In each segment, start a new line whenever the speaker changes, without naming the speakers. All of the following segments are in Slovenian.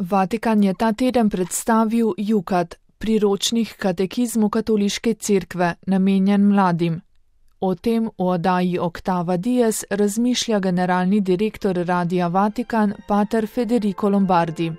Vatikan je ta teden predstavil Jukat, priročnik katekizmu katoliške cerkve, namenjen mladim. O tem v oddaji Octava Dies razmišlja generalni direktor Radia Vatikan, pater Federico Lombardi.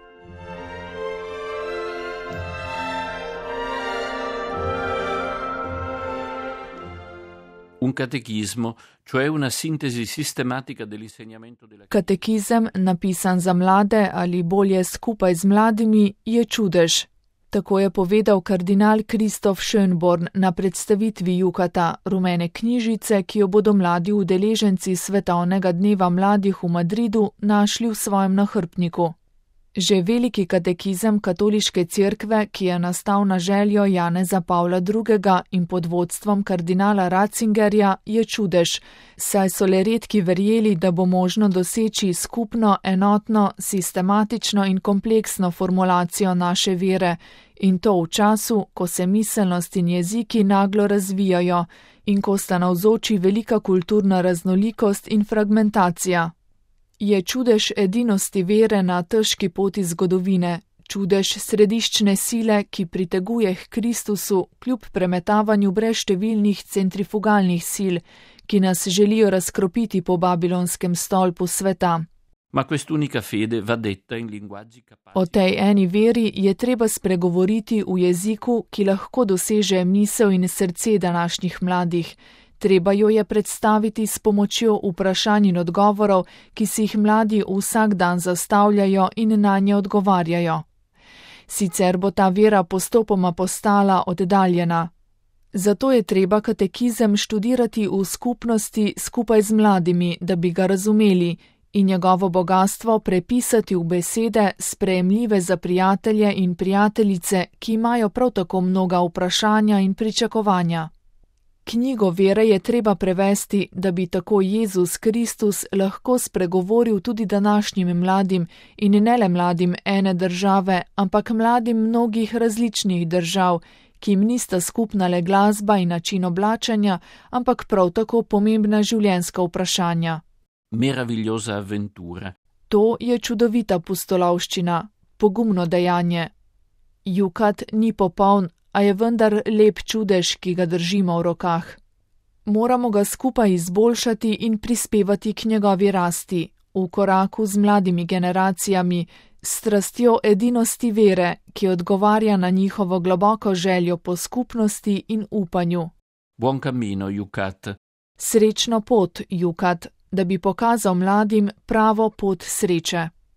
Un catechismo, cioè una sintesi sistematica dell'insegnamento della...
Katekizem, napisan za mlade ali bolje skupaj z mladimi, je čudež. Tako je povedal kardinal Kristof Schönborn na predstavitvi Jukata, rumene knjižice, ki jo bodo mladi udeleženci Svetovnega dneva mladih v Madridu našli v svojem nahrbtniku. Že veliki katekizem katoliške cerkve, ki je nastal na željo Janeza Pavla II. In pod vodstvom kardinala Ratzingerja, je čudež, saj so le redki verjeli, da bo možno doseči skupno, enotno, sistematično in kompleksno formulacijo naše vere, in to v času, ko se miselnost in jeziki naglo razvijajo in ko sta navzoči velika kulturna raznolikost in fragmentacija. Je čudež edinosti vere na težki poti zgodovine, čudež središčne sile, ki priteguje k Kristusu kljub premetavanju brezštevilnih centrifugalnih sil, ki nas želijo razkropiti po babilonskem stolpu sveta.
Ma quest'unica fede va detta in linguaggi capaci.
O tej eni veri je treba spregovoriti v jeziku, ki lahko doseže misel in srce današnjih mladih. Treba jo je predstaviti s pomočjo vprašanj in odgovorov, ki si jih mladi vsak dan zastavljajo in nanje odgovarjajo. Sicer bo ta vera postopoma postala oddaljena. Zato je treba katekizem študirati v skupnosti skupaj z mladimi, da bi ga razumeli, in njegovo bogastvo prepisati v besede, sprejemljive za prijatelje in prijateljice, ki imajo prav tako mnoga vprašanja in pričakovanja. Knjigo vere je treba prevesti, da bi tako Jezus Kristus lahko spregovoril tudi današnjim mladim in ne le mladim ene države, ampak mladim mnogih različnih držav, ki jim nista skupna le glasba in način oblačenja, ampak prav tako pomembna življenjska vprašanja.
Meravigliosa avventura.
To je čudovita pustolovščina, pogumno dejanje. Jukat ni popoln, a je vendar lep čudež, ki ga držimo v rokah. Moramo ga skupaj izboljšati in prispevati k njegovi rasti, v koraku z mladimi generacijami, s strastjo edinosti vere, ki odgovarja na njihovo globoko željo po skupnosti in upanju.
Buon cammino, Jukat.
Srečno pot, Jukat, da bi pokazal mladim pravo pot sreče.